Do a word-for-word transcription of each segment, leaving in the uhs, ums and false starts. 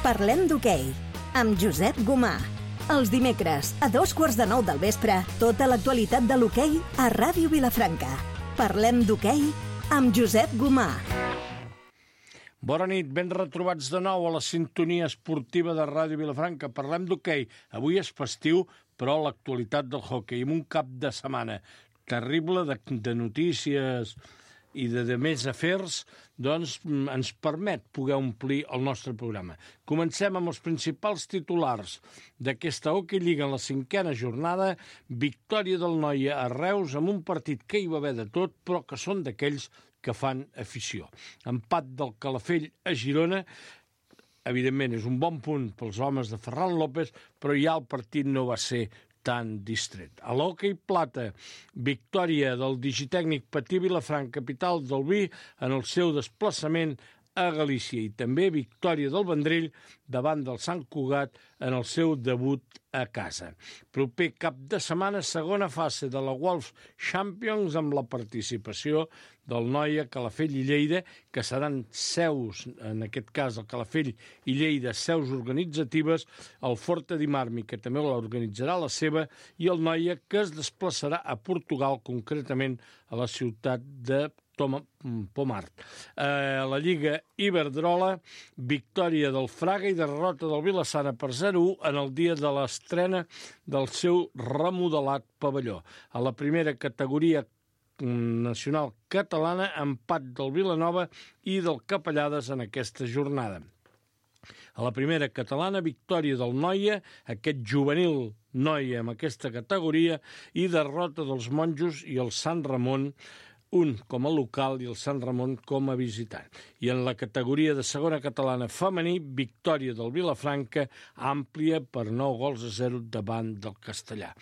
Parlem d'hoquei, amb Josep Gomà. Els dimecres, a dos quarts de nou del vespre, tota l'actualitat de l'hoquei a Ràdio Vilafranca. Parlem d'hoquei amb Josep Gomà. Bona nit, ben retrobats de nou a la sintonia esportiva de Ràdio Vilafranca. Parlem d'hoquei. Avui és festiu, però l'actualitat del hoquei, amb un cap de setmana terrible de, de notícies i de, de més afers, doncs ens permet poder omplir el nostre programa. Comencem amb els principals titulars d'aquesta Hockey Lliga en la cinquena jornada. Victòria del Noia a Reus amb un partit que hi va haver de tot, però que són d'aquells que fan afició. Empat del Calafell a Girona. Evidentment, és un bon punt pels homes de Ferran López, però ja el partit no va ser tan distret. A l'hoquei plata, victòria del digitècnic Patí Vilafranca, capital del vi, en el seu desplaçament a Galícia, i també victòria del Vendrell davant del Sant Cugat en el seu debut a casa. Proper cap de setmana, segona fase de la Wolf Champions amb la participació del Noia, Calafell i Lleida, que seran seus, en aquest cas el Calafell i Lleida, seus organitzatives, el Forte di Marmi, que també l'organitzarà la seva, i el Noia, que es desplaçarà a Portugal, concretament a la ciutat de Toma, Pomart. Eh, la Lliga Iberdrola, victòria del Fraga i derrota del Vilassana per zero a u en el dia de l'estrena del seu remodelat pavelló. A la primera categoria nacional catalana, empat del Vilanova i del Capellades en aquesta jornada. A la primera catalana, victòria del Noia, aquest juvenil Noia amb aquesta categoria, i derrota dels Monjos i el Sant Ramon, un com a local i el Sant Ramon com a visitant. I en la categoria de segona catalana femení, victòria del Vilafranca, àmplia per nou gols a zero davant del Castellà.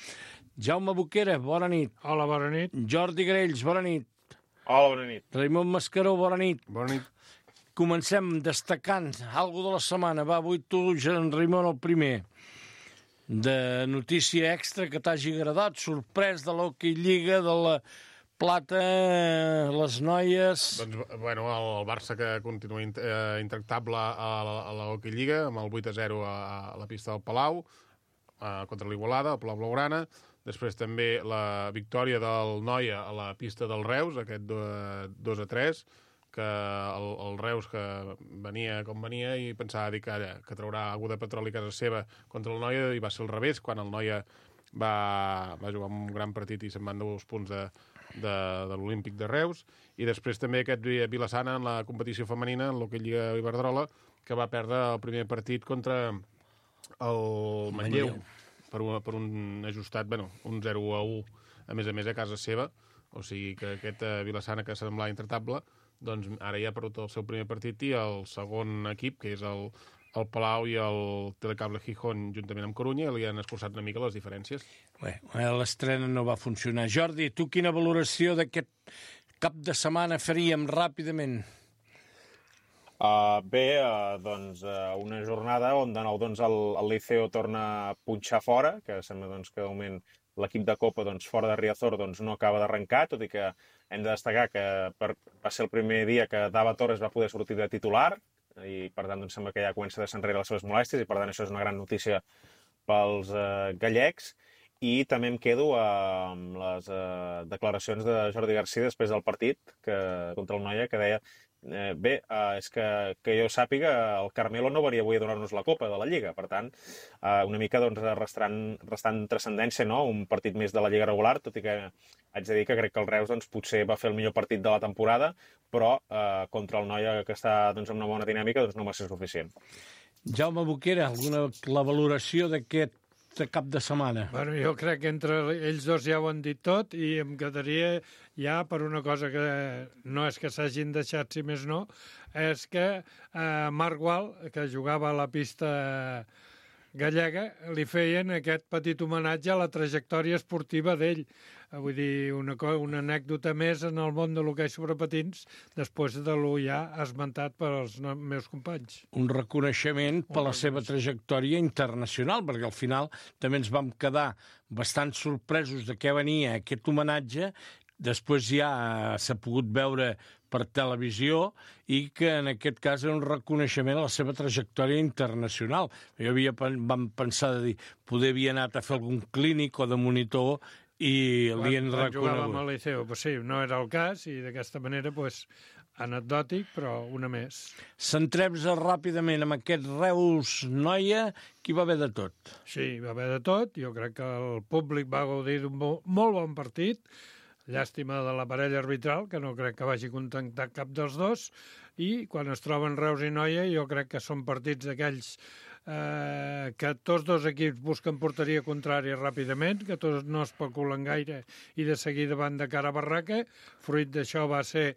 Jaume Boquera, bona nit. Hola, bona nit. Jordi Grells, bona nit. Hola, bona nit. Raimon Mascaró, bona nit. Bona nit. Comencem destacant algo de la setmana. Va, avui tu, Jean Raimon, el primer. De notícia extra que t'hagi agradat, sorprès de l'Hockey Lliga, de la Plata, les noies... Doncs, bueno, el Barça que continua int eh, intractable a la, a la Hockey Lliga, amb el vuit a zero a, a la pista del Palau, eh, contra l'Igualada, el Palau Blaugrana. Després també la victòria del Noia a la pista del Reus, aquest dos a tres, que el, el Reus que venia com venia i pensava dir que, que traurà algú de petroli a casa seva contra el Noia, i va ser al revés, quan el Noia va, va jugar un gran partit i se'n van dos punts de, de, de l'Olímpic de Reus. I després també aquest Vilassana en la competició femenina, en l'Hockey Lliga Iberdrola, que va perdre el primer partit contra el Manlleu, per un, per un ajustat, bueno, un zero a u, a més a més a casa seva. O sigui que aquest Vilassana, que semblava intratable, doncs ara ja ha perdut el seu primer partit, i el segon equip, que és el, el Palau i el Telecable Gijón, juntament amb Corunya, li han escurçat una mica les diferències. Bé, l'estrena no va funcionar. Jordi, tu quina valoració d'aquest cap de setmana faríem ràpidament? Uh, bé, uh, doncs uh, una jornada on de nou doncs, el, el Liceo torna a punxar fora, que sembla doncs, que de moment l'equip de Copa doncs, fora de Riazor doncs, no acaba d'arrencar, tot i que hem de destacar que per, va ser el primer dia que Dava Torres va poder sortir de titular, i per tant doncs, sembla que ja comença a deixar enrere les seves molèsties, i per tant això és una gran notícia pels eh, gallecs. I també em quedo eh, amb les eh, declaracions de Jordi Garcia després del partit que, contra el Noia, que deia eh, bé, eh, és que, que jo sàpiga, el Carmelo no venia avui a donar-nos la Copa de la Lliga, per tant eh, una mica doncs, restant, restant transcendència, no? Un partit més de la Lliga regular, tot i que haig de dir que crec que el Reus doncs, potser va fer el millor partit de la temporada, però eh, contra el Noia, que està doncs, amb una bona dinàmica, doncs, no va ser suficient. Jaume Boquera, alguna, la valoració d'aquest de cap de setmana? Bueno, jo crec que entre ells dos ja ho han dit tot, i em quedaria ja per una cosa que no és que s'hagin deixat, si més no, és que eh, Marc Gual, que jugava a la pista gallega, li feien aquest petit homenatge a la trajectòria esportiva d'ell. Vull dir, una, una anècdota més en el món de l'hoquei sobre patins, després de lo ja esmentat pels meus companys. Un reconeixement per la seva trajectòria internacional, perquè al final també ens vam quedar bastant sorpresos de què venia aquest homenatge. Després ja s'ha pogut veure per televisió i que en aquest cas era un reconeixement a la seva trajectòria internacional. Jo havia, vam pensar de dir, poder havia anat a fer algun clínic o de monitor i li han reconegut. Quan jugava amb el Liceu, pues sí, no era el cas i d'aquesta manera, pues, anecdòtic, però una més. Centrem-nos ràpidament amb aquest Reus-Noia, que hi va haver de tot. Sí, hi va haver de tot. Jo crec que el públic va gaudir d'un molt bon partit. Llàstima de la parella arbitral, que no crec que vagi contentar cap dels dos. I quan es troben Reus i Noia, jo crec que són partits d'aquells eh, que tots dos equips busquen porteria contrària ràpidament, que tots no especulen gaire i de seguida van de cara a barraca. Fruit d'això va ser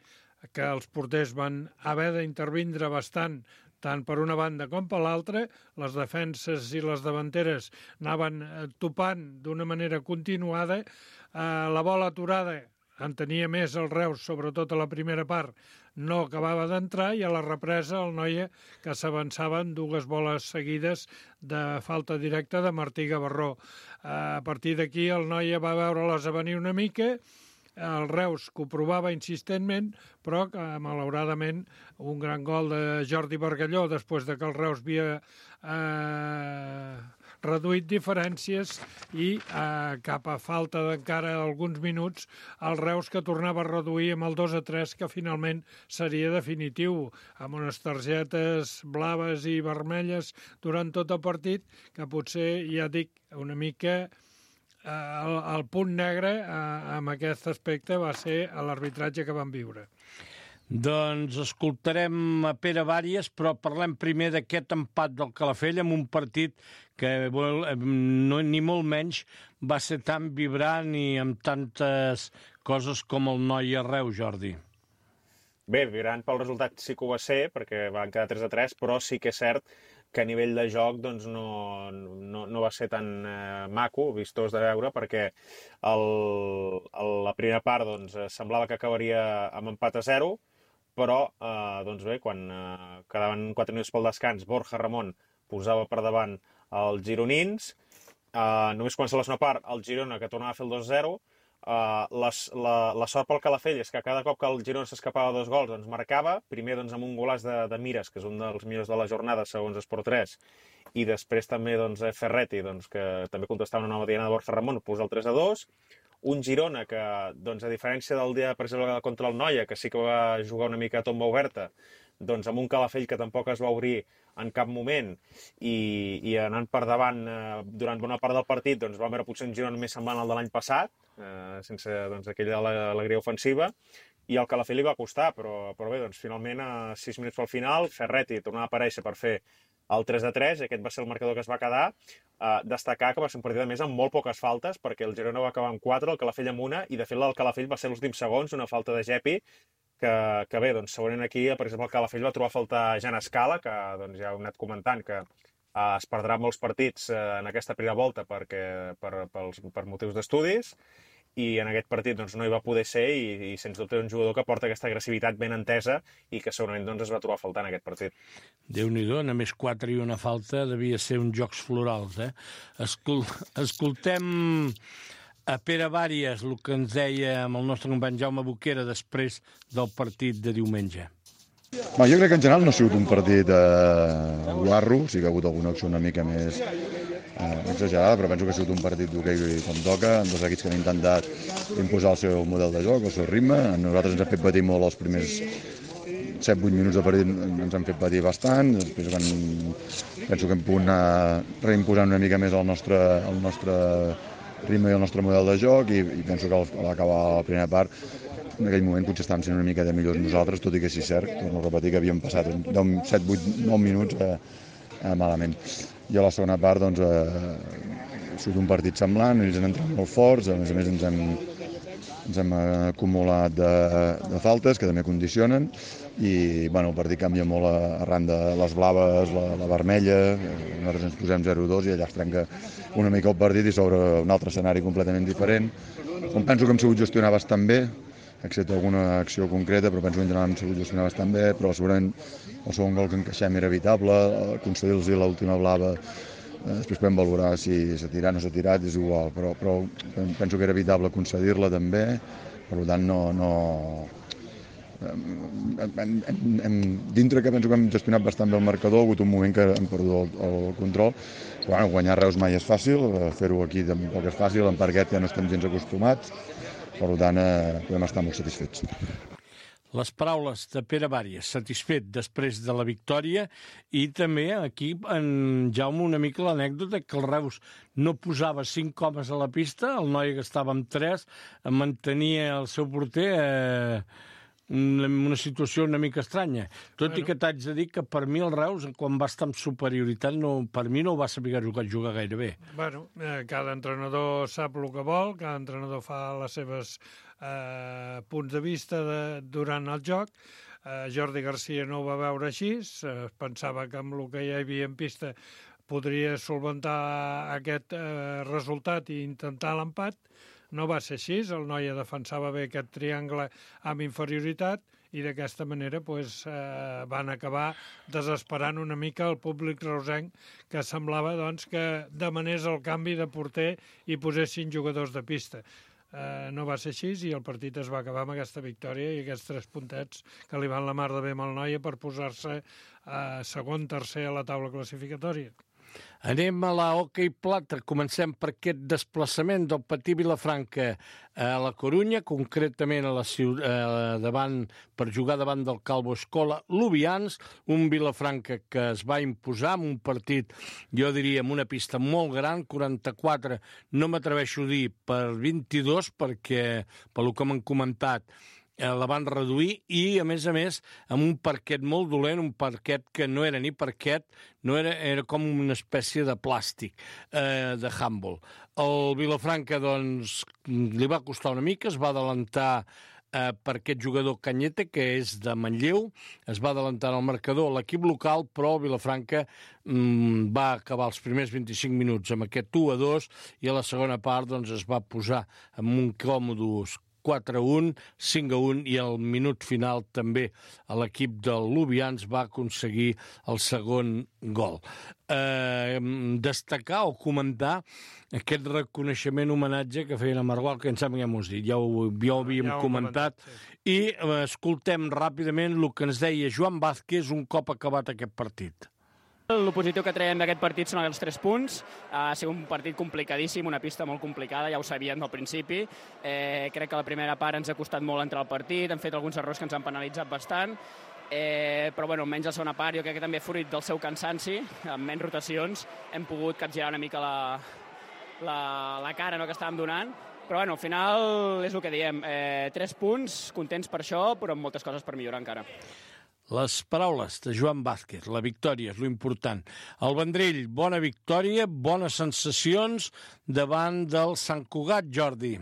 que els porters van haver d'intervindre bastant tant per una banda com per l'altra. Les defenses i les davanteres anaven topant d'una manera continuada. Eh, la bola aturada en tenia més el Reus, sobretot a la primera part, no acabava d'entrar, i a la represa el Noia, que s'avançaven dues boles seguides de falta directa de Martí Gavarró. Eh, a partir d'aquí el Noia va veure-les a venir una mica. El Reus que ho provava insistentment, però que, malauradament, un gran gol de Jordi Bargalló, després de que el Reus havia eh, reduït diferències, i eh, cap a falta d'encara alguns minuts, el Reus que tornava a reduir amb el dos a tres, que finalment seria definitiu, amb unes targetes blaves i vermelles durant tot el partit, que potser, ja dic, una mica... El, el punt negre eh, amb aquest aspecte va ser l'arbitratge que vam viure. Doncs escoltarem a Pere Bàries, però parlem primer d'aquest empat del Calafell amb un partit que no, ni molt menys va ser tan vibrant i amb tantes coses com el Noia Reus, Jordi. Bé, vibrant pel resultat sí que ho va ser, perquè van quedar tres a tres, però sí que és cert que a nivell de joc doncs, no, no, no va ser tan eh, maco, vistós de veure, perquè el, el, la primera part doncs, semblava que acabaria amb empat a zero, però eh, doncs bé, quan eh, quedaven quatre minuts pel descans, Borja Ramon posava per davant els gironins. Eh, només comença la segona part, el Girona, que tornava a fer el dos a zero. Uh, les, la, la sort pel Calafell és que cada cop que el Girona s'escapava dos gols doncs marcava, primer doncs, amb un golàs de, de Mires, que és un dels millors de la jornada segons Esport tres, i després també doncs, Ferretti, doncs, que també contestava una nova diana de Borja Ramon, posa el tres a dos. Un Girona que, doncs, a diferència del dia per exemple, contra el Noia, que sí que va jugar una mica a tomba oberta, doncs amb un Calafell que tampoc es va obrir en cap moment, i, i anant per davant eh, durant bona part del partit, doncs vam veure potser un Girona més semblant al de l'any passat, eh, sense doncs, aquella alegria ofensiva, i el Calafell li va costar, però, però bé, doncs finalment a sis minuts pel final, Ferretti tornava a aparèixer per fer el tres a tres, i aquest va ser el marcador que es va quedar. Eh, destacar que va ser un partit a més amb molt poques faltes, perquè el Girona va acabar amb quatre, el Calafell amb una, i de fet el Calafell va ser els últims segons, una falta de Gepi, que, que bé, doncs segurament aquí, per exemple, el Calafell va trobar a faltar Jan Escala, que doncs, ja heu anat comentant que eh, es perdrà molts partits eh, en aquesta primera volta perquè, per, pels, per motius d'estudis, i en aquest partit doncs, no hi va poder ser, i, i sens dubte un jugador que porta aquesta agressivitat ben entesa i que segurament doncs, es va trobar a faltar en aquest partit. Déu-n'hi-do, només quatre i una falta devia ser uns jocs florals, eh? Escol escoltem a Pere Bàries, el que ens deia amb el nostre company Jaume Boquera després del partit de diumenge. Bé, jo crec que en general no ha sigut un partit eh, guarro, sí que ha hagut alguna acció una mica més eh, exagerada, però penso que ha sigut un partit d'hoquei com toca, amb dos equips que han intentat imposar el seu model de joc, el seu ritme. Nosaltres ens hem fet patir molt els primers set vuit minuts de partit, ens han fet patir bastant, després quan penso que hem pogut anar reimposant una mica més el nostre, el nostre ritme i el nostre model de joc, i, i penso que a l'acabar la primera part en aquell moment potser estàvem sent una mica de millors nosaltres, tot i que sí, cert, torno a repetir que havíem passat set vuit nou minuts eh, eh, malament. I a la segona part, doncs, eh, ha sigut un partit semblant, ells han entrat molt forts, a més a més ens hem, ens hem acumulat de, de faltes que també condicionen, i bueno, el partit canvia molt arran de les blaves, la, la vermella, nosaltres ens posem zero dos i allà es trenca una mica el partit i s'obre un altre escenari completament diferent, on penso que hem sabut gestionar bastant bé, excepte alguna acció concreta, però penso que en general hem sabut gestionar bastant bé, però segurament el segon gol que encaixem era evitable, concedir-los l'última blava, eh, després podem valorar si s'ha tirat o no s'ha tirat, és igual, però, però penso que era evitable concedir-la també, per tant no, no, hem, hem, hem, dintre que penso que hem gestionat bastant bé el marcador, ha hagut un moment que hem perdut el, el control. Però, bueno, guanyar Reus mai és fàcil, fer-ho aquí tampoc és fàcil, en Parquet ja no estem gens acostumats, per tant eh, podem estar molt satisfets. Les paraules de Pere Bàries, satisfet després de la victòria, i també aquí, en Jaume, una mica l'anècdota que el Reus no posava cinc homes a la pista, el noi que estava amb tres, mantenia el seu porter eh, una, una situació una mica estranya. Tot bueno. I que t'haig de dir que per mi el Reus, quan va estar amb superioritat, no, per mi no ho va saber jugar, jugar gaire bé. Bueno, eh, cada entrenador sap el que vol, cada entrenador fa les seves eh, punts de vista de, durant el joc. Eh, Jordi Garcia no ho va veure així, eh, pensava que amb el que hi havia en pista podria solventar aquest eh, resultat i intentar l'empat. No va ser així, el noi defensava bé aquest triangle amb inferioritat i d'aquesta manera pues, eh, van acabar desesperant una mica el públic reusenc, que semblava doncs, que demanés el canvi de porter i posessin jugadors de pista. Eh, no va ser així i el partit es va acabar amb aquesta victòria i aquests tres puntets que li van la mar de bé amb el Noia per posar-se eh, segon, tercer a la taula classificatòria. Anem a la hoquei plata. Comencem per aquest desplaçament del Patí Vilafranca a la Corunya, concretament a la ciutat, eh, davant, per jugar davant del Calvo Escola Lubians, un Vilafranca que es va imposar en un partit, jo diria, amb una pista molt gran, quaranta-quatre, no m'atreveixo a dir per vint-i-dos, perquè, pel que m'han comentat, la van reduir i, a més a més, amb un parquet molt dolent, un parquet que no era ni parquet, no era, era com una espècie de plàstic, eh, de handball. El Vilafranca, doncs, li va costar una mica, es va adelantar eh, per aquest jugador Cañete, que és de Manlleu, es va adelantar al marcador l'equip local, però el Vilafranca mm, va acabar els primers vint-i-cinc minuts amb aquest u a dos i a la segona part doncs, es va posar amb un còmodos quatre a un, cinc a un, i al minut final també l'equip del Lubians va aconseguir el segon gol. Eh, destacar o comentar aquest reconeixement homenatge que feien a Margual, que em sembla que ja m'ho has dit, ja ho, ja ho havíem ja ho comentat, comentat sí. I eh, escoltem ràpidament el que ens deia Joan Vázquez un cop acabat aquest partit. El positiu que traiem d'aquest partit són els tres punts. Ha sigut un partit complicadíssim, una pista molt complicada, ja ho sabíem al principi. Eh, crec que la primera part ens ha costat molt entrar al partit, hem fet alguns errors que ens han penalitzat bastant, eh, però bueno, almenys la segona part, jo crec que també fruit del seu cansanci, amb menys rotacions, hem pogut capgirar una mica la, la, la cara no, que estàvem donant. Però bueno, al final és el que diem, eh, tres punts, contents per això, però amb moltes coses per millorar encara. Les paraules de Joan Vázquez, la victòria és l'important. El Vendrell, bona victòria, bones sensacions davant del Sant Cugat, Jordi.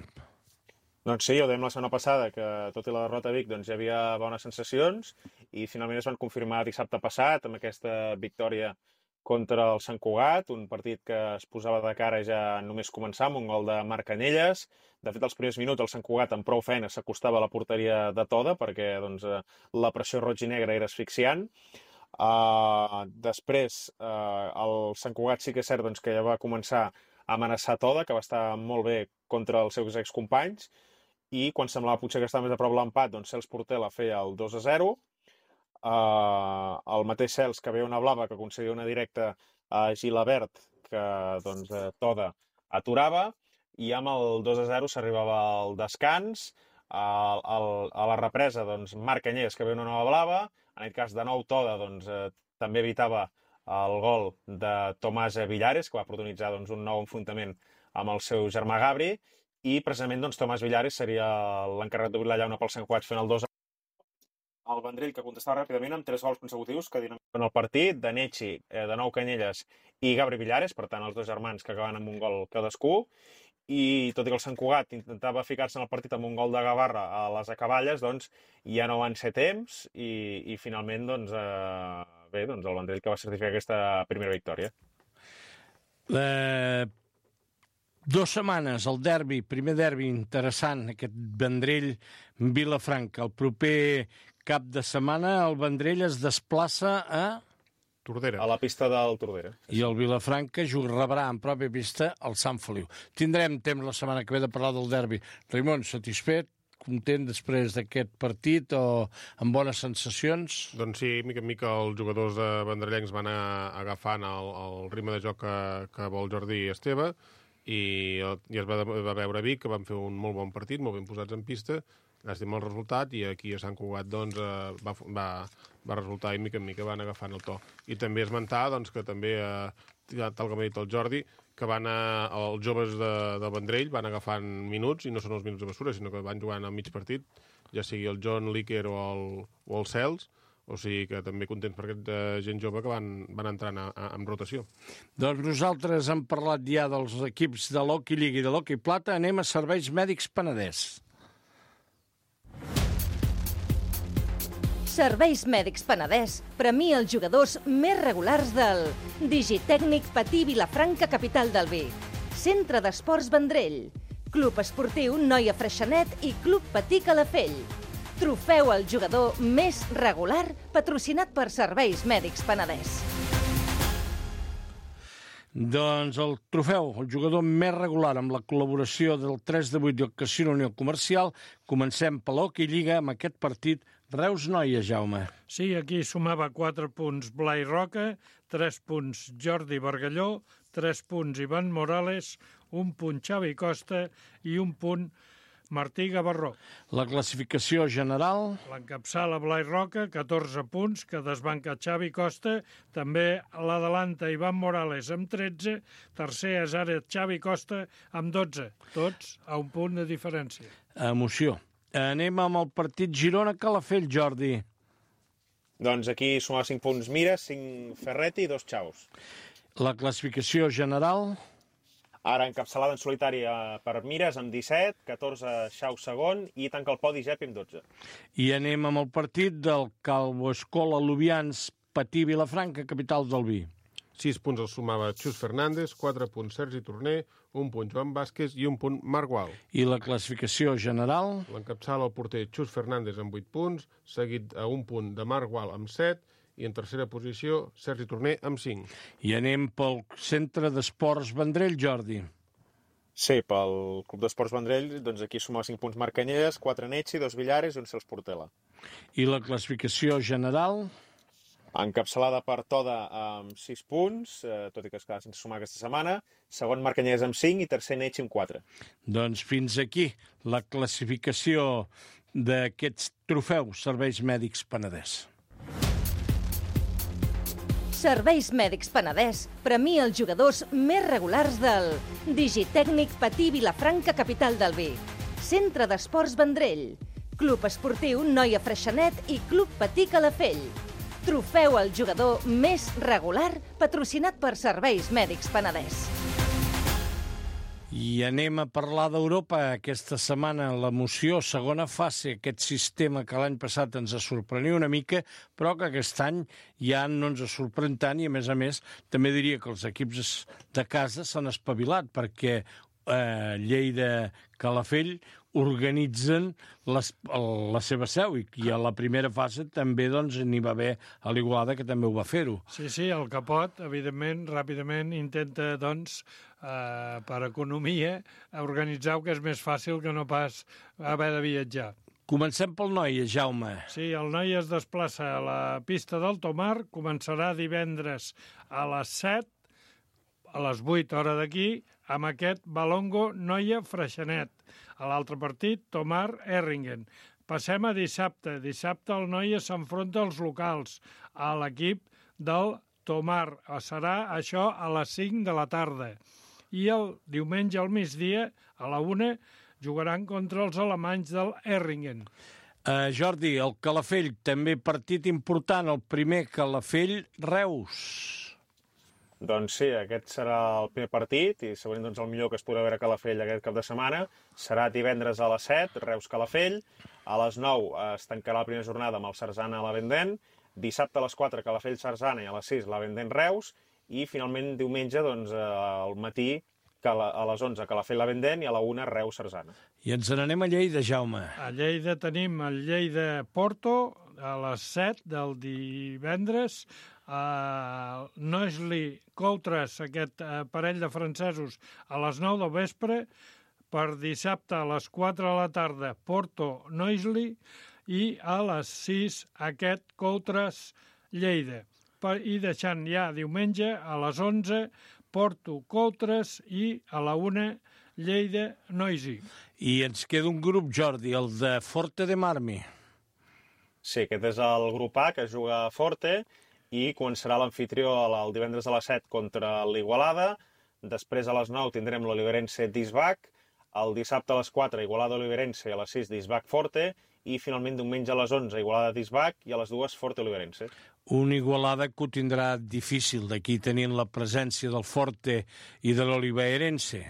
Doncs sí, ho dèiem la setmana passada, que tot i la derrota a Vic doncs, hi havia bones sensacions i finalment es van confirmar dissabte passat amb aquesta victòria contra el Sant Cugat, un partit que es posava de cara ja només començar amb un gol de Marc Canelles. De fet, als primers minuts el Sant Cugat amb prou feina s'acostava a la porteria de Toda perquè doncs, la pressió roig i negra era asfixiant. Uh, després, uh, el Sant Cugat sí que és cert doncs, que ja va començar a amenaçar Toda, que va estar molt bé contra els seus excompanys, i quan semblava potser que estava més a prop l'empat, doncs Cels Portela feia el dos a zero. Uh, el mateix Cels que veia una blava que aconseguia una directa a Gilabert que doncs, Toda aturava i amb el dos a zero s'arribava al descans. A, a, a la represa doncs, Marc Canyelles que veia una nova blava, en aquest cas de nou Toda doncs, eh, també evitava el gol de Tomàs Villares que va protagonitzar doncs, un nou enfrontament amb el seu germà Gabri i precisament doncs, Tomàs Villares seria l'encarregat d'obrir la llauna pel Sant Cugat fent el dos a zero. El Vendrell que contestava ràpidament amb tres gols consecutius que dinamitaven el partit, de Nechi, eh, de nou Canyelles i Gabri Villares, per tant els dos germans que acaben amb un gol cadascú, i tot i que el Sant Cugat intentava ficar-se en el partit amb un gol de Gavarra a les acaballes, doncs ja no van ser temps i, i finalment doncs, eh, bé, doncs el Vendrell que va certificar aquesta primera victòria. Eh, dos setmanes, el derbi, primer derbi interessant, aquest Vendrell-Vilafranca. El proper cap de setmana el Vendrell es desplaça a... Tordera. A la pista del Tordera. I el Vilafranca rebrà en pròpia pista el Sant Feliu. Tindrem temps la setmana que ve de parlar del derbi. Raimon, satisfet? content després d'aquest partit o amb bones sensacions? Doncs sí, mica en mica els jugadors de Vendrellencs van anar agafant el, el ritme de joc que, que vol Jordi Esteve, i, i es va, va veure a Vic, que van fer un molt bon partit, molt ben posats en pista, llàstima el resultat, i aquí a Sant Cugat doncs, eh, va, va, va resultar i mica en mica van agafant el to. I també esmentar doncs, que també, eh, tal com ha dit el Jordi, que van a, els joves de, de Vendrell van agafant minuts, i no són els minuts de bessura, sinó que van jugant al mig partit, ja sigui el John Líquer o el, o el Cels, o sigui que també contents per aquesta gent jove que van, van entrant a, a, en rotació. Doncs nosaltres hem parlat ja dels equips de l'Hockey Lliga i de l'Hockey Plata, anem a Serveis Mèdics Penedès. Serveis Mèdics Penedès premia els jugadors més regulars del Digitècnic Patí Vilafranca, capital del vi, Centre d'Esports Vendrell, Club Esportiu Noia Freixenet i Club Patí Calafell. Trofeu al jugador més regular, patrocinat per Serveis Mèdics Penedès. Doncs el trofeu, el jugador més regular, amb la col·laboració del tres de vuit del Casino Unió Comercial. Comencem per l'Hockey Lliga amb aquest partit Reus-Noia, Jaume. Sí, aquí sumava quatre punts Blai Roca, tres punts Jordi Bargalló, tres punts Ivan Morales, un punt Xavi Costa i un punt Martí Gavarró. La classificació general. L'encapçala Blai Roca, catorze punts, que desbanca Xavi Costa. També l'adelanta Ivan Morales amb tretze. Tercer és ara Xavi Costa amb dotze. Tots a un punt de diferència. Emoció. Anem amb el partit Girona-Calafell, Jordi. Doncs aquí sumava cinc punts Mira, cinc Ferretti i dos Xaus. La classificació general. Ara encapçalada en solitari per Mires amb disset, catorze Xau segon i tanca el podi Gepi amb dotze. I anem amb el partit del Calvo Escola Lubians Patí Vilafranca, capital del vi. Sis punts els sumava Xus Fernández, quatre punts Sergi Torner, un punt Joan Vázquez i un punt Marc Gual. I la classificació general. L'encapçala el porter Xus Fernández amb vuit punts, seguit a un punt de Marc Gual amb set, i en tercera posició, Sergi Torner amb cinc. I anem pel Centre d'Esports Vendrell, Jordi. Sí, pel Club d'Esports Vendrell, doncs aquí sumava cinc punts Marc Canyelles, quatre Netxi, dos Villares i un Cels Portela. I la classificació general. Encapçalada per Toda amb sis punts, eh, tot i que es queda sense sumar aquesta setmana. Segon Marc Canyelles amb cinc i tercer Netxi amb quatre. Doncs fins aquí la classificació d'aquests trofeus Serveis Mèdics Penedès. Serveis Mèdics Penedès premia els jugadors més regulars del Digitècnic Patí Vilafranca, capital del vi, Centre d'Esports Vendrell, Club Esportiu Noia Freixenet i Club Patí Calafell. Trofeu al jugador més regular, patrocinat per Serveis Mèdics Penedès. I anem a parlar d'Europa. Aquesta setmana l'emoció, segona fase, aquest sistema que l'any passat ens sorprenia una mica, però que aquest any ja no ens sorprèn tant i, a més a més, també diria que els equips de casa s'han espavilat perquè eh, Lleida, Calafell organitzen les, la seva seu i, i a la primera fase també doncs, n'hi va haver a l'Igualada, que també ho va fer-ho. Sí, sí, el Capot, evidentment, ràpidament intenta, doncs, eh, per economia, organitzar-ho, que és més fàcil que no pas haver de viatjar. Comencem pel Noia, Jaume. Sí, el Noia es desplaça a la pista del Tomar, començarà divendres a les set, a les vuit hora d'aquí, amb aquest Balongo Noia Freixenet. A l'altre partit, Tomar Erringen. Passem a dissabte. Dissabte el Noia s'enfronta als locals, a l'equip del Tomar. Serà això a les cinc de la tarda. I el diumenge al migdia, a la una, jugaran contra els alemanys del Erringen. Uh, Jordi, el Calafell, també partit important, el primer Calafell-Reus. Doncs sí, aquest serà el primer partit i segurament doncs, el millor que es podrà veure a Calafell aquest cap de setmana. Serà divendres a les set, Reus-Calafell. A les nou es tancarà la primera jornada amb el Sarzana a la Vendent. Dissabte a les quatre, Calafell-Sarzana, i a les sis, la Vendent-Reus. I finalment diumenge, doncs, al matí, a les onze, Calafell-la Vendent, i a la una, Reus-Sarzana. I ens n'anem a Lleida, Jaume. A Lleida tenim el Lleida-Porto a les set del divendres. Uh, Noisli Coutres, aquest uh, parell de francesos, a les nou del vespre. Per dissabte a les quatre de la tarda, Porto-Noisley, i a les sis aquest Coutres-Lleida. I deixant ja diumenge a les onze, Porto-Coutres i a la una Lleida-Noisy. I ens queda un grup, Jordi, el de Forte de Marmi. Sí, aquest és el grup A, que juga a Forte, i començarà l'anfitrió el divendres a les set contra l'Igualada. Després a les nou tindrem l'Oliverense d'Isbac, el dissabte a les quatre Igualada Oliverense i a les sis d'Isbac Forte, i finalment diumenge a les onze Igualada d'Isbac i a les dues Forte Oliverense. Una Igualada que ho tindrà difícil, d'aquí tenint la presència del Forte i de l'Oliverense.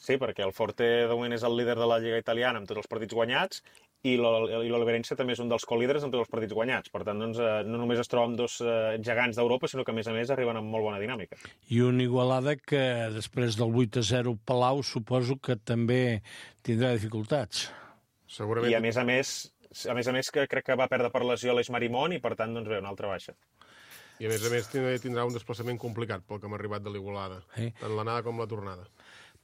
Sí, perquè el Forte de moment és el líder de la Lliga Italiana amb tots els partits guanyats, i l'Oliverense també és un dels colíders amb tots els partits guanyats. Per tant, doncs, no només es troba amb dos gegants d'Europa, sinó que, a més a més, arriben amb molt bona dinàmica. I una Igualada que, després del vuit a zero Palau, suposo que també tindrà dificultats. Segurament. I, a més a més, a més a més que crec que va perdre per lesió l'Eix Marimón i, per tant, doncs, ve una altra baixa. I, a més a més, tindrà un desplaçament complicat pel que hem arribat de l'Igualada, eh? tant l'anada com la tornada.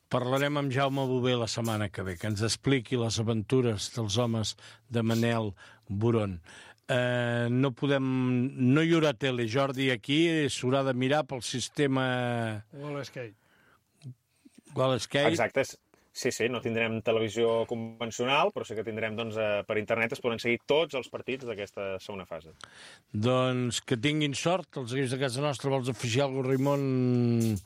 Parlarem amb Jaume Bové la setmana que ve, que ens expliqui les aventures dels homes de Manel Buron. Eh, no podem... No hi haurà tele, Jordi, aquí. S'haurà de mirar pel sistema... Wall Skate. Wall Skate. Exacte. Sí, sí, no tindrem televisió convencional, però sí que tindrem, doncs, per internet es poden seguir tots els partits d'aquesta segona fase. Doncs que tinguin sort, els equips de casa nostra. Vols afegir alguna cosa, Raimon?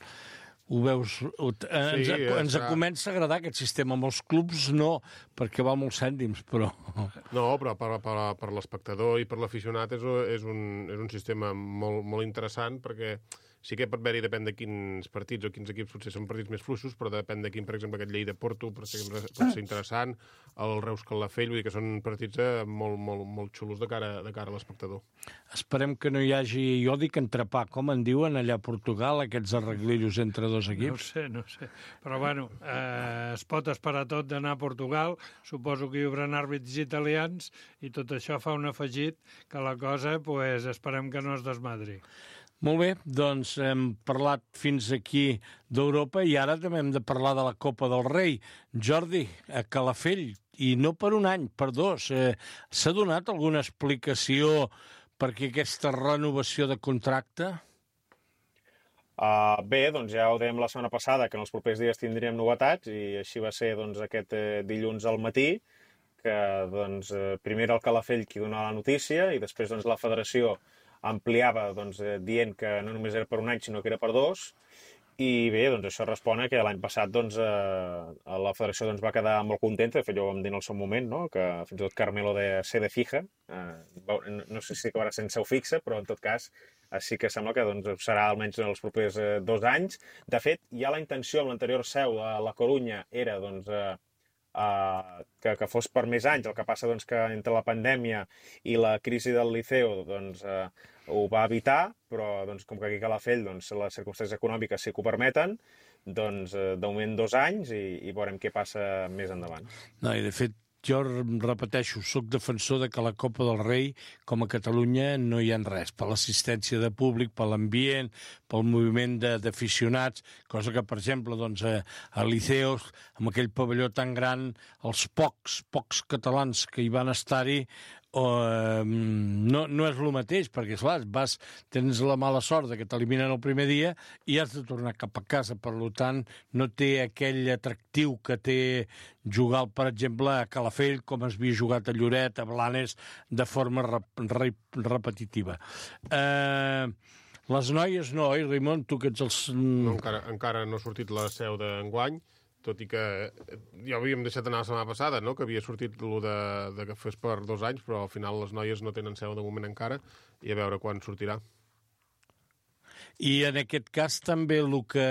Ho veus? Ens, sí, ens serà... comença a agradar aquest sistema. Amb els clubs no, perquè va molts cèntims, però... No, però per, per, per l'espectador i per l'aficionat és, és, un, és un sistema molt, molt interessant, perquè sí que pot haver-hi, depèn de quins partits o quins equips, potser són partits més fluixos, però depèn de quin, per exemple, aquest Lleida-Porto pot ser, pot ser interessant, el Reus-Calafell, vull dir que són partits molt, molt, molt xulos de cara, de cara a l'espectador. Esperem que no hi hagi, jo dic entrepà, com en diuen allà a Portugal, aquests arreglillos entre dos equips? No sé, no sé. Però, bueno, eh, es pot esperar tot d'anar a Portugal, suposo que hi haurà àrbits italians, i tot això fa un afegit que la cosa, pues, esperem que no es desmadri. Molt bé, doncs hem parlat fins aquí d'Europa i ara també hem de parlar de la Copa del Rei. Jordi, a Calafell, i no per un any, per dos. Eh, S'ha donat alguna explicació perquè aquesta renovació de contracte? Uh, bé, doncs ja ho dèiem la setmana passada, que en els propers dies tindríem novetats, i així va ser doncs, aquest eh, dilluns al matí, que doncs, eh, primer era el Calafell qui donava la notícia i després doncs, la federació ampliava doncs, eh, dient que no només era per un any, sinó que era per dos. I bé, doncs això respon a que l'any passat doncs, eh, la federació doncs, va quedar molt contenta, de fet jo ho vam dir en el seu moment, no? Que fins i tot Carmelo de sede fija, eh, no sé si acabarà sent seu fixa, però en tot cas eh, sí que sembla que doncs, serà almenys en els propers eh, dos anys. De fet, ja la intenció amb l'anterior seu a la Corunya era doncs, eh, Uh, que, que fos per més anys, el que passa doncs, que entre la pandèmia i la crisi del Liceu doncs, uh, ho va evitar, però doncs, com que aquí a Calafell doncs, les circumstàncies econòmiques sí que ho permeten, doncs uh, de moment dos anys i, i veurem què passa més endavant. No, i de fet, jo repeteixo, sóc defensor de que la Copa del Rei, com a Catalunya, no hi ha res. Per l'assistència de públic, per l'ambient, pel moviment d'aficionats, cosa que, per exemple, doncs, a, a Liceos, amb aquell pavelló tan gran, els pocs, pocs catalans que hi van estar-hi, o, eh, no, no és el mateix, perquè, esclar, vas, tens la mala sort de que t'eliminen el primer dia i has de tornar cap a casa. Per tant, no té aquell atractiu que té jugar, per exemple, a Calafell, com es havia jugat a Lloret, a Blanes, de forma rep rep repetitiva. Eh, les noies no, oi, Raimon? Tu que ets els... No, encara, encara no ha sortit la seu d'enguany, tot i que ja havíem deixat anar la setmana passada, no? Que havia sortit el de, de que fes per dos anys, però al final les noies no tenen seu de moment encara, i a veure quan sortirà. I en aquest cas també el que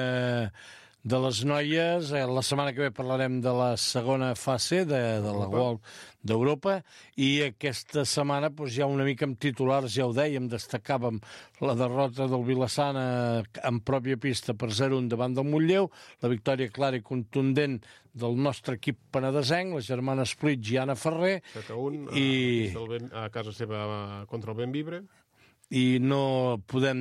de les noies, eh, la setmana que ve parlarem de la segona fase de, de la World d'Europa, i aquesta setmana doncs, ja una mica amb titulars, ja ho dèiem, destacàvem la derrota del Vilassana en pròpia pista per zero a un davant del Montlleu, la victòria clara i contundent del nostre equip penedesenc, la germana Split i Anna Ferrer, set a un, i... a casa seva contra el Benvibre. i no podem...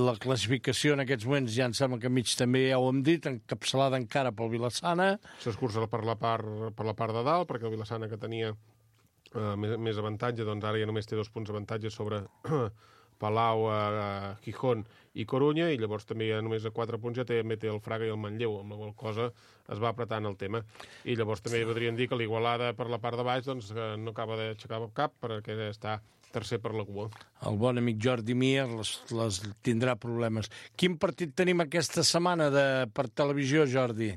La classificació en aquests moments ja em sembla que mig també ja ho hem dit, encapçalada encara pel Vilassana. S'escurça per la part, per la part de dalt, perquè el Vilassana, que tenia eh, més, més avantatge, doncs ara ja només té dos punts d'avantatge sobre Palau, eh, Gijón i Corunya, i llavors també ja només a quatre punts ja també té el Fraga i el Manlleu, amb la qual cosa es va apretant el tema. I llavors també podríem dir que l'Igualada per la part de baix doncs, no acaba d'aixecar cap perquè està tercer per la cua. El bon amic Jordi Mier les, les tindrà problemes. Quin partit tenim aquesta setmana de, per televisió, Jordi?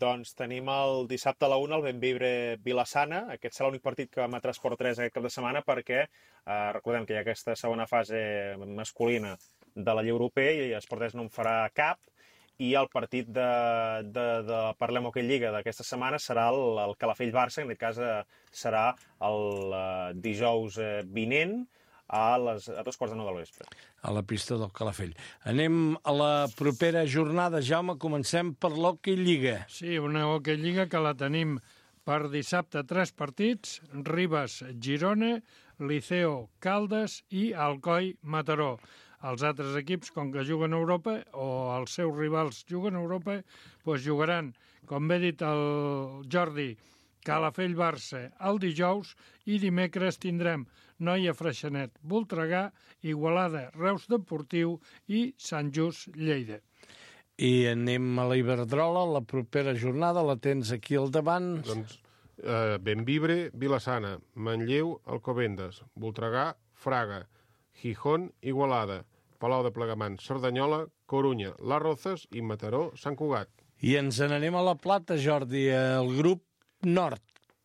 Doncs tenim el dissabte a la una el Benvibre Vilassana. Aquest serà l'únic partit que emetrà Esport tres aquest cap de setmana perquè eh, recordem que hi ha aquesta segona fase masculina de la Lliga Europea i Esport tres no en farà cap, i el partit de, de, de Parlem Hoquei Lliga d'aquesta setmana serà el, el Calafell-Barça, en aquest cas eh, serà el eh, dijous eh, vinent a, les, a dos quarts de nou del vespre. A la pista del Calafell. Anem a la propera jornada, Jaume, comencem per l'Hoquei Lliga. Sí, una Hoquei Lliga que la tenim per dissabte tres partits, Ribes-Girona, Liceo-Caldes i Alcoi-Mataró. Els altres equips, com que juguen a Europa, o els seus rivals juguen a Europa, doncs jugaran, com bé dit el Jordi, Calafell-Barça el dijous, i dimecres tindrem Noia Freixenet, Voltregà, Igualada, Reus Deportiu i Sant Just, Lleida. I anem a la Iberdrola, la propera jornada, la tens aquí al davant. Doncs eh, Benvibre, Vilassana, Manlleu, Alcobendas, Voltregà, Fraga, Gijón, Igualada, Palau de Plegamans, Cerdanyola, Corunya, Les Rozas i Mataró, Sant Cugat. I ens n'anem a la Plata, Jordi, el grup nord,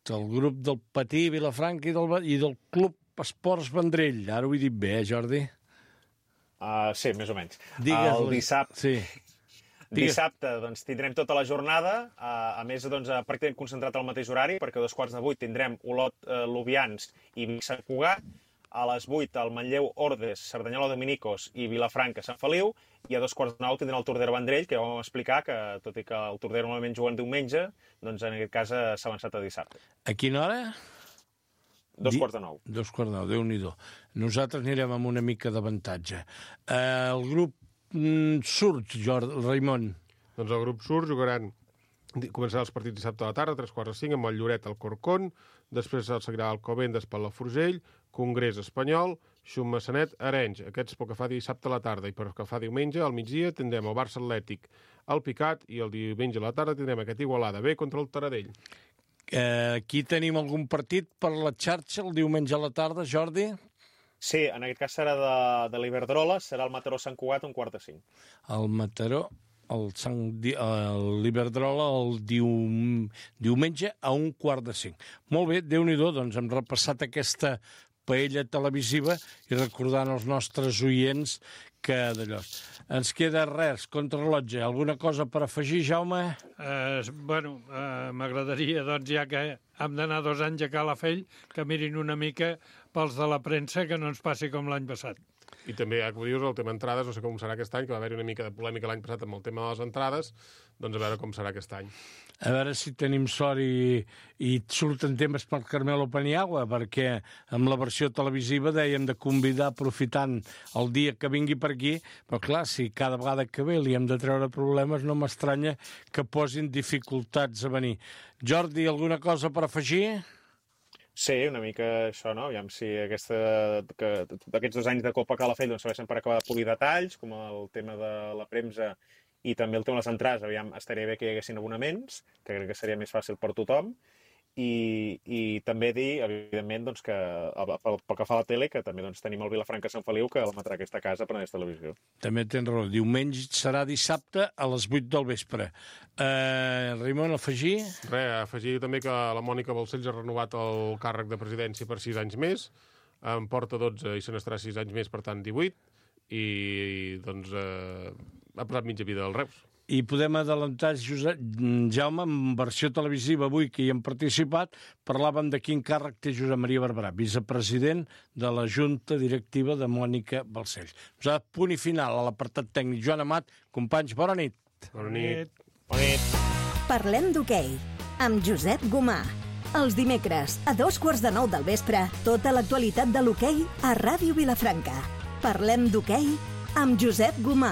el grup del Patí, Vilafranca i del, i del Club Esports Vendrell. Ara ho he dit bé, eh, Jordi? Uh, sí, més o menys. Digues-li. El dissabte... Sí. Digues. Dissabte doncs, tindrem tota la jornada, uh, a més doncs, pràcticament concentrat al mateix horari, perquè a dos quarts de vuit tindrem Olot, uh, Lubians i Vic Sant Cugat, a les vuit el Manlleu Ordes, Cerdanyola Dominicos i Vilafranca Sant Feliu, i a dos quarts de nou tindrem el Tordera Vendrell, que ja vam explicar que, tot i que el Tordera normalment juguen diumenge, doncs en aquest cas s'ha avançat a dissabte. A quina hora? Dos Di... quarts de nou. Dos quarts de nou, Déu-n'hi-do. Nosaltres anirem amb una mica d'avantatge. Uh, el grup mm, surt, Jordi, Raimon. Doncs el grup surt jugaran... Començarà els partits dissabte a la tarda, tres quarts de cinc, amb el Lloret al Corcón, després el seguirà el Covendes per la Forgell, Congrés Espanyol, Xum-Massanet, Arenys. Aquests pel que fa dissabte a la tarda, i pel que fa diumenge, al migdia, tindrem el Barça Atlètic, el Picat, i el diumenge a la tarda tindrem aquest Igualada B contra el Taradell. Eh, aquí tenim algun partit per la xarxa el diumenge a la tarda, Jordi? Sí, en aquest cas serà de, de l'Iberdrola, serà el Mataró Sant Cugat un quart de cinc. El Mataró, el Sant, l'Iberdrola el dium, diumenge a un quart de cinc. Molt bé, Déu-n'hi-do, doncs hem repassat aquesta paella televisiva i recordant als nostres oients que d'allò. Ens queda res, contrarrellotge. Alguna cosa per afegir, Jaume? Eh, bueno, eh, m'agradaria, doncs, ja que hem d'anar dos anys a Calafell, que mirin una mica pels de la premsa, que no ens passi com l'any passat. I també, ja que ho dius, el tema entrades, no sé com serà aquest any, que va haver-hi una mica de polèmica l'any passat amb el tema de les entrades, doncs a veure com serà aquest any. A veure si tenim sort i, i surten temes pel Carmelo Paniagua, perquè amb la versió televisiva dèiem de convidar aprofitant el dia que vingui per aquí, però clar, si cada vegada que ve li hem de treure problemes, no m'estranya que posin dificultats a venir. Jordi, alguna cosa per afegir? Sí, una mica això, no? Aviam si aquesta, que, aquests dos anys de Copa Calafell doncs, serveixen per acabar de polir detalls, com el tema de la premsa i també el tema de les entrades. Aviam, estaria bé que hi haguessin abonaments, que crec que seria més fàcil per tothom. I, i també dir, evidentment, doncs, que pel, pel que fa a la tele, que també doncs, tenim el Vilafranca Sant Feliu, que l'emetrà aquesta casa per aquesta televisió. També tens raó. Diumenge serà dissabte a les vuit del vespre. Uh, Raimon, afegir? Res, afegir també que la Mònica Balcells ha renovat el càrrec de presidència per sis anys més, en porta dotze i se n'estarà sis anys més, per tant divuit, i doncs eh, ha posat mitja vida al Reus. I podem adelantar, Josep, Jaume, en versió televisiva avui que hi hem participat, parlàvem de quin càrrec té Josep Maria Barberà, vicepresident de la Junta Directiva de Mònica Balcells. Ens ha punt i final a l'apartat tècnic. Joan Amat, companys, bona nit. Bona nit. Bona nit. Parlem d'hoquei, amb Josep Gomà. Els dimecres, a dos quarts de nou del vespre, tota l'actualitat de l'hoquei a Ràdio Vilafranca. Parlem d'hoquei amb Josep Gomà.